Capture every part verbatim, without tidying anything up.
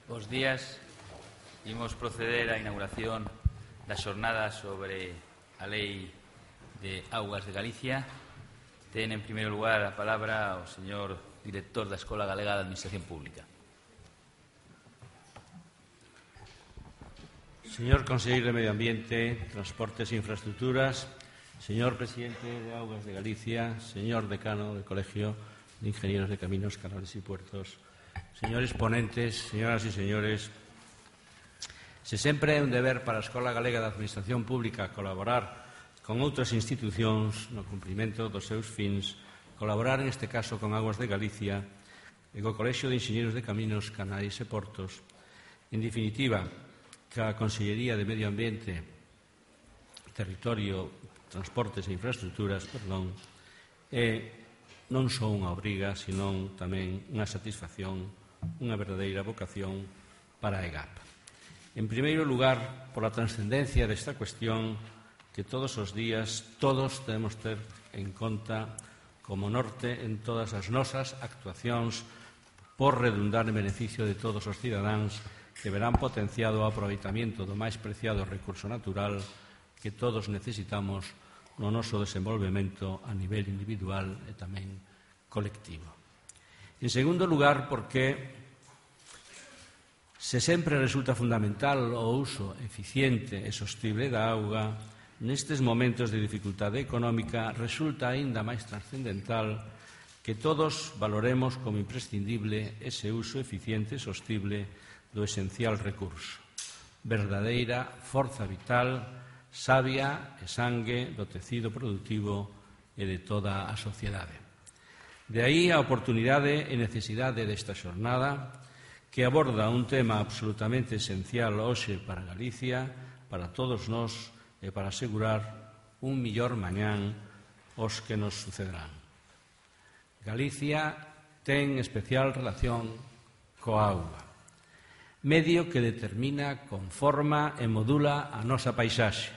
Bos días. Imos proceder á inauguración da xornada sobre a Lei de Augas de Galicia. Ten, en primeiro lugar, a palabra o señor director da Escola Galega de Administración Pública. Señor Conselleiro de Medio Ambiente, Transportes e Infraestructuras, señor Presidente de Augas de Galicia, señor Decano del Colegio de Ingenieros de Caminos, Canales y Puertos, señores ponentes, señoras e señores, se sempre é un deber para a Escola Galega de Administración Pública colaborar con outras institucións no cumprimento dos seus fins, colaborar neste caso con Augas de Galicia e co Colexio de Inxeñeiros de Caminos, Canais e Portos. En definitiva, que a Consellería de Medio Ambiente, Territorio, Transportes e Infraestructuras, perdón, é non só unha obriga, senón tamén unha satisfacción, unha verdadeira vocación para a EGAP. En primeiro lugar, por a transcendencia desta cuestión que todos os días todos debemos ter en conta como norte en todas as nosas actuacións por redundar en beneficio de todos os cidadáns que verán potenciado o aproveitamento do máis preciado recurso natural que todos necesitamos no noso desenvolvemento a nivel individual e tamén colectivo. En segundo lugar, porque se sempre resulta fundamental o uso eficiente e sostible da auga, nestes momentos de dificultade económica resulta aínda máis trascendental que todos valoremos como imprescindible ese uso eficiente e sostible do esencial recurso, verdadeira forza vital, savia e sangue do tecido productivo e de toda a sociedade. De aí a oportunidade e necesidade desta xornada que aborda un tema absolutamente esencial hoxe para Galicia, para todos nós e para asegurar un millor mañán aos que nos sucederán. Galicia ten especial relación coa auga, medio que determina, conforma e modula a nosa paisaxe.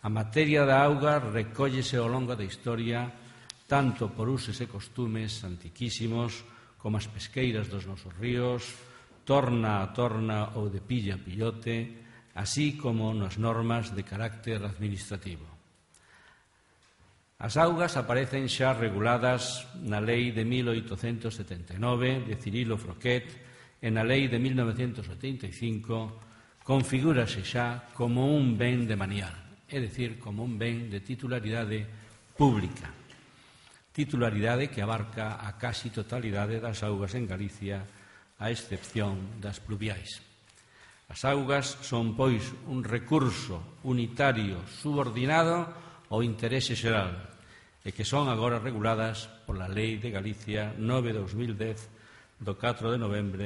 A materia da auga recóllese ao longo da historia tanto por usos e costumes antiquísimos como as pesqueiras dos nosos ríos, torna a torna ou de pilla a pillote, así como nas normas de carácter administrativo. As augas aparecen xa reguladas na Lei de mil oitocentos setenta e nove de Cirilo Froquet e na Lei de mil novecentos oitenta e cinco configúrase xa como un ben de manial, é dicir, como un ben de titularidade pública. Titularidade que abarca a casi totalidade das augas en Galicia, a excepción das pluviais. As augas son, pois, un recurso unitario subordinado ao interese xeral e que son agora reguladas pola Lei de Galicia nove barra dos mil dez do catro de novembro,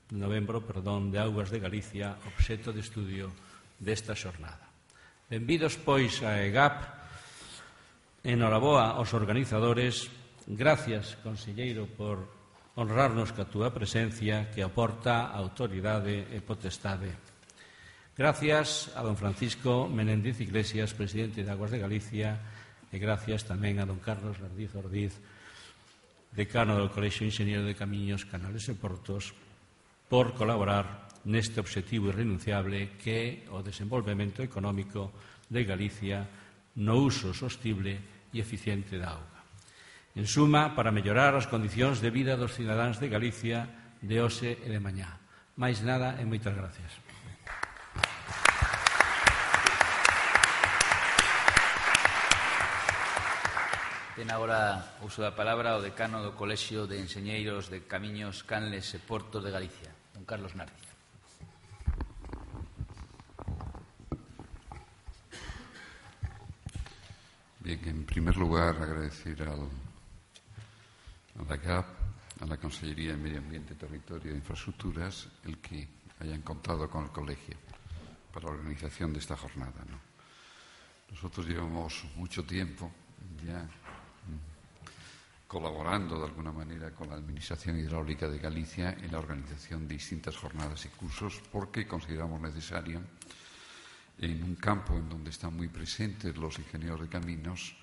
novembro perdón, de Augas de Galicia, obxecto de estudio desta xornada. Benvidos, pois, a EGAP. Enhoraboa aos organizadores. Gracias, conselleiro, por honrarnos ca túa presencia que aporta autoridade e potestade. Gracias a don Francisco Menéndez Iglesias, presidente de Augas de Galicia, e gracias tamén a don Carlos Lardiz Ordiz, decano do Colexio de Inxenieros de Camiños, Canales e Portos, por colaborar neste obxectivo irrenunciable que é o desenvolvemento económico de Galicia no uso sostible e eficiente da auga. En suma, para mellorar as condicións de vida dos cidadáns de Galicia de hoxe e de mañá. Máis nada e moitas gracias. Ten agora uso da palabra o decano do Colexio de Enxeñeiros de Camiños, Canles e Portos de Galicia, don Carlos Nardi. Bien, en primer lugar, agradecer al, a la EGAP, a la Consellería de Medio Ambiente, Territorio e Infraestructuras, el que hayan contado con el colegio para la organización de esta jornada, ¿no? Nosotros llevamos mucho tiempo ya colaborando de alguna manera con la Administración Hidráulica de Galicia en la organización de distintas jornadas y cursos porque consideramos necesario, en un campo en donde están muy presentes los ingenieros de caminos,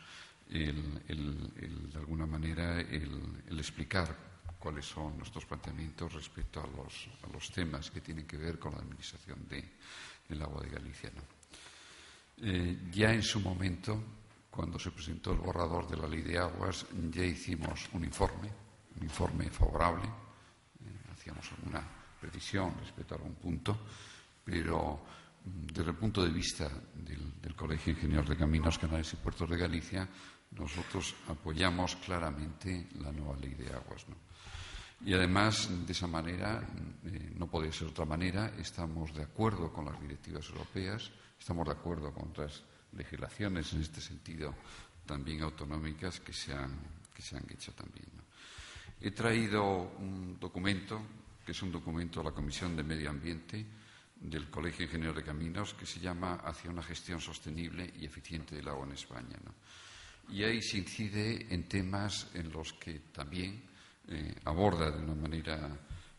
el, el, el, de alguna manera el, el explicar cuáles son nuestros planteamientos respecto a los, a los temas que tienen que ver con la administración de, del agua de Galicia, ¿no? Eh, ya en su momento, cuando se presentó el borrador de la Ley de Aguas, ya hicimos un informe, un informe favorable, eh, hacíamos alguna precisión respecto a algún punto, pero desde el punto de vista del, del Colegio de Ingenieros de Caminos, Canales y Puertos de Galicia, nosotros apoyamos claramente la nueva Ley de Aguas, ¿no? Y además, de esa manera, eh, no podía ser de otra manera, estamos de acuerdo con las directivas europeas, estamos de acuerdo con otras legislaciones en este sentido también autonómicas que se han, que se han hecho también, ¿no? He traído un documento, que es un documento de la Comisión de Medio Ambiente del Colegio de Ingenieros de Caminos, que se llama Hacia una gestión sostenible y eficiente del agua en España, ¿no? Y ahí se incide en temas en los que también eh, aborda de una manera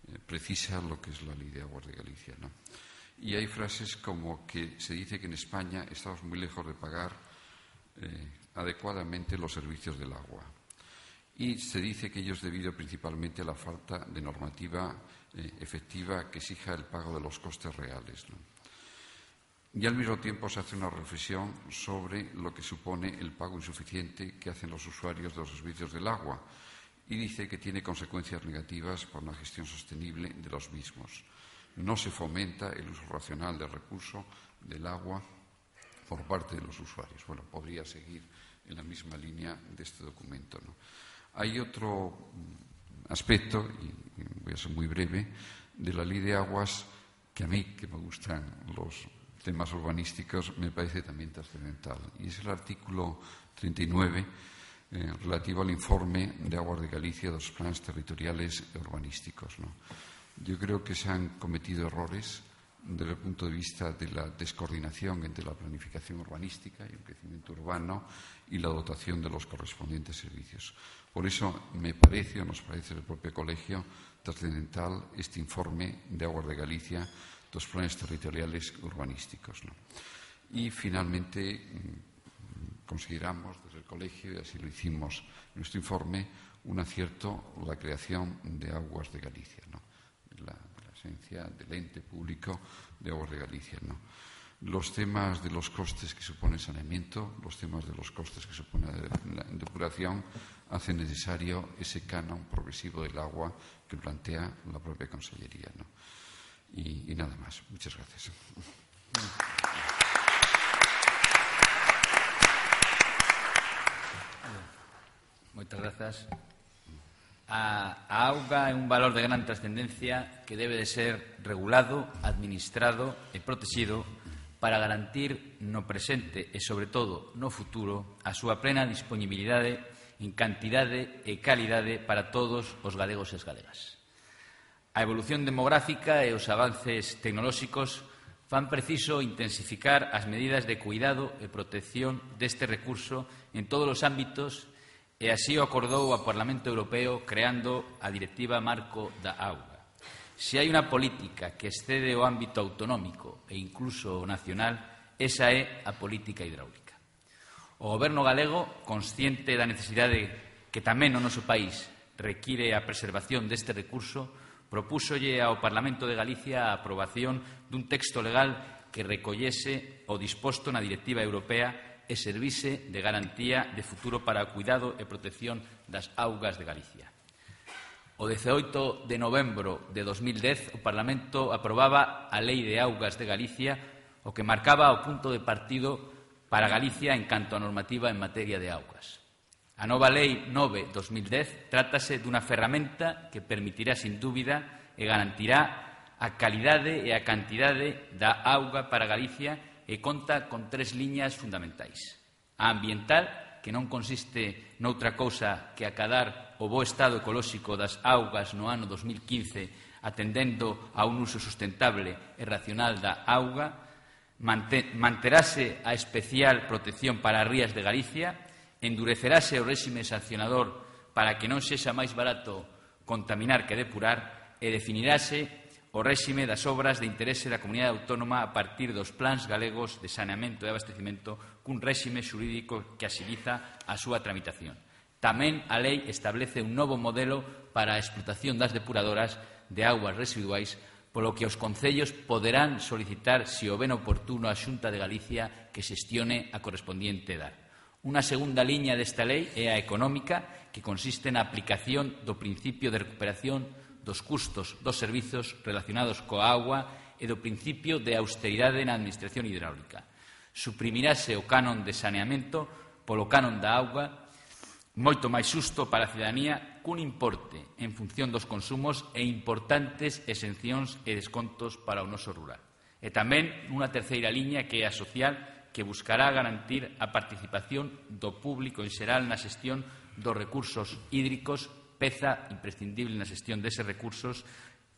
eh, precisa lo que es la Ley de Aguas de Galicia, ¿no? Y hay frases como que se dice que en España estamos muy lejos de pagar eh, adecuadamente los servicios del agua. Y se dice que ello es debido principalmente a la falta de normativa eh, efectiva que exija el pago de los costes reales, ¿no? Y al mismo tiempo se hace una reflexión sobre lo que supone el pago insuficiente que hacen los usuarios de los servicios del agua y dice que tiene consecuencias negativas para una gestión sostenible de los mismos. No se fomenta el uso racional del recurso del agua por parte de los usuarios. Bueno, podría seguir en la misma línea de este documento, ¿no? Hay otro aspecto, y voy a ser muy breve, de la Ley de Aguas que a mí, que me gustan los temas urbanísticos, me parece también trascendental. Y es el artículo treinta y nueve, eh, relativo al informe de Aguas de Galicia de los planes territoriales urbanísticos, ¿no? Yo creo que se han cometido errores desde el punto de vista de la descoordinación entre la planificación urbanística y el crecimiento urbano y la dotación de los correspondientes servicios. Por eso me parece, o nos parece el propio colegio, trascendental este informe de Aguas de Galicia, los planes territoriales urbanísticos, ¿no? Y finalmente consideramos desde el colegio, y así lo hicimos en nuestro informe, un acierto la creación de Aguas de Galicia, ¿no? La, la esencia del ente público de Aguas de Galicia, ¿no? Los temas de los costes que supone el saneamiento, los temas de los costes que supone la depuración, hacen necesario ese canon progresivo del agua que plantea la propia Consellería, ¿no? Y, y nada más. Muchas gracias. Moitas grazas. A, a auga é un valor de gran trascendencia que debe de ser regulado, administrado e protegido para garantir no presente e, sobre todo, no futuro, a súa plena disponibilidade en cantidade e calidade para todos os galegos e as galegas. A evolución demográfica e os avances tecnolóxicos fan preciso intensificar as medidas de cuidado e protección deste recurso en todos os ámbitos e así o acordou o Parlamento Europeo creando a Directiva Marco da Auga. Se hai unha política que excede o ámbito autonómico e incluso o nacional, esa é a política hidráulica. O Goberno galego, consciente da necesidade que tamén no noso país require a preservación deste recurso, propúsolle ao Parlamento de Galicia a aprobación dun texto legal que recollese o disposto na Directiva Europea e servise de garantía de futuro para o cuidado e protección das augas de Galicia. O dezaoito de novembro de dos mil dez, o Parlamento aprobaba a Lei de Augas de Galicia, o que marcaba o punto de partido para Galicia en canto a normativa en materia de augas. A nova Lei nove barra dos mil dez trátase dunha ferramenta que permitirá, sin dúbida, e garantirá a calidade e a cantidade da auga para Galicia e conta con tres liñas fundamentais. A ambiental, que non consiste noutra cousa que acadar o bo estado ecolóxico das augas no ano dos mil quince, atendendo a un uso sustentable e racional da auga, manterase a especial protección para as rías de Galicia, endurecerase o réxime sancionador para que non sexa máis barato contaminar que depurar e definirase o réxime das obras de interese da comunidade autónoma a partir dos plans galegos de saneamento e abastecimento cun réxime xurídico que axiliza a súa tramitación. Tamén a lei establece un novo modelo para a explotación das depuradoras de augas residuais, polo que os concellos poderán solicitar, se o ven oportuno, á Xunta de Galicia que xestione a correspondiente edad. Unha segunda liña desta lei é a económica, que consiste na aplicación do principio de recuperación dos custos dos servizos relacionados coa auga e do principio de austeridade na administración hidráulica. Suprimirase o canon de saneamento polo canon da auga, moito máis xusto para a cidadanía, cun importe en función dos consumos e importantes exencións e descontos para o noso rural. E tamén unha terceira liña que é a social, que buscará garantir a participación do público en xeral na xestión dos recursos hídricos, peza imprescindible na xestión deses recursos,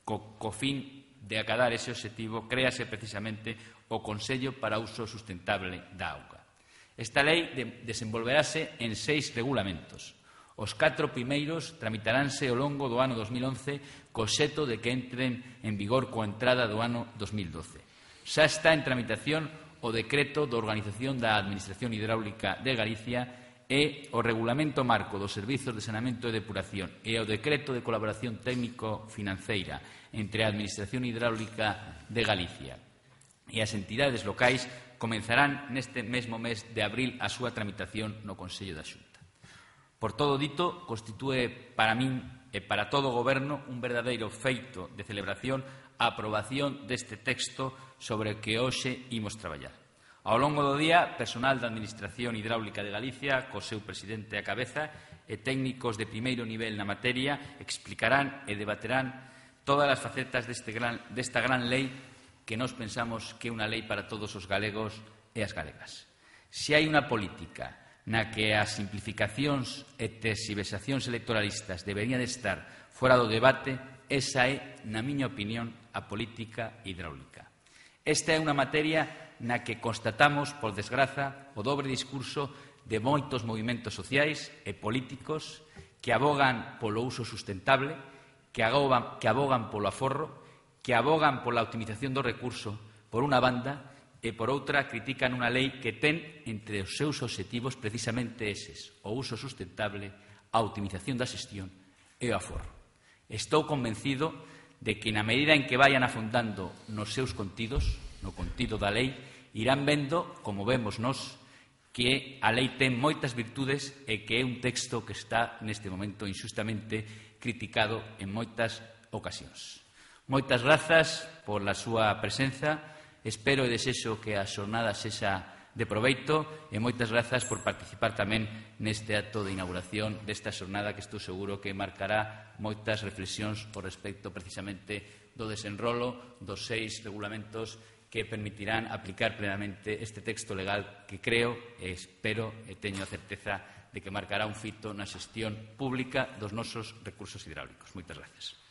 co, co fin de acadar ese obxectivo, créase precisamente o Consello para o Uso Sustentable da Auga. Esta lei de, desenvolverase en seis regulamentos. Os catro primeiros tramitaránse ao longo do ano dos mil once co xeto de que entren en vigor coa entrada do ano dos mil doce. Xa está en tramitación o decreto de organización da Administración Hidráulica de Galicia e o regulamento marco dos servizos de saneamento e depuración e o decreto de colaboración técnico-financeira entre a Administración Hidráulica de Galicia e as entidades locais comenzarán neste mesmo mes de abril a súa tramitación no Consello da Xunta. Por todo dito, constitúe para min e para todo o Goberno un verdadeiro feito de celebración a aprobación deste texto sobre o que hoxe imos traballar. Ao longo do día, personal da Administración Hidráulica de Galicia, co seu presidente á cabeza, e técnicos de primeiro nivel na materia explicarán e debaterán todas as facetas deste gran, desta gran lei que nós pensamos que é unha lei para todos os galegos e as galegas. Se hai unha política na que as simplificacións e terxiversacións electoralistas deberían de estar fora do debate, esa é, na miña opinión, a política hidráulica. Esta é unha materia na que constatamos, por desgraza, o dobre discurso de moitos movimentos sociais e políticos que abogan polo uso sustentable, que abogan, que abogan polo aforro, que abogan pola optimización do recurso, por unha banda, e por outra critican unha lei que ten entre os seus obxectivos precisamente eses, o uso sustentable, a optimización da xestión e o aforro. Estou convencido de que na medida en que vayan afondando nos seus contidos, no contido da lei, irán vendo, como vemos nós, que a lei ten moitas virtudes e que é un texto que está neste momento inxustamente criticado en moitas ocasións. Moitas grazas pola súa presenza, espero e desexo que a xornada sexa de proveito e moitas grazas por participar tamén neste acto de inauguración desta xornada que estou seguro que marcará moitas reflexións por respecto precisamente do desenrolo dos seis regulamentos que permitirán aplicar plenamente este texto legal que creo e espero e teño a certeza de que marcará un fito na xestión pública dos nosos recursos hidráulicos. Moitas grazas.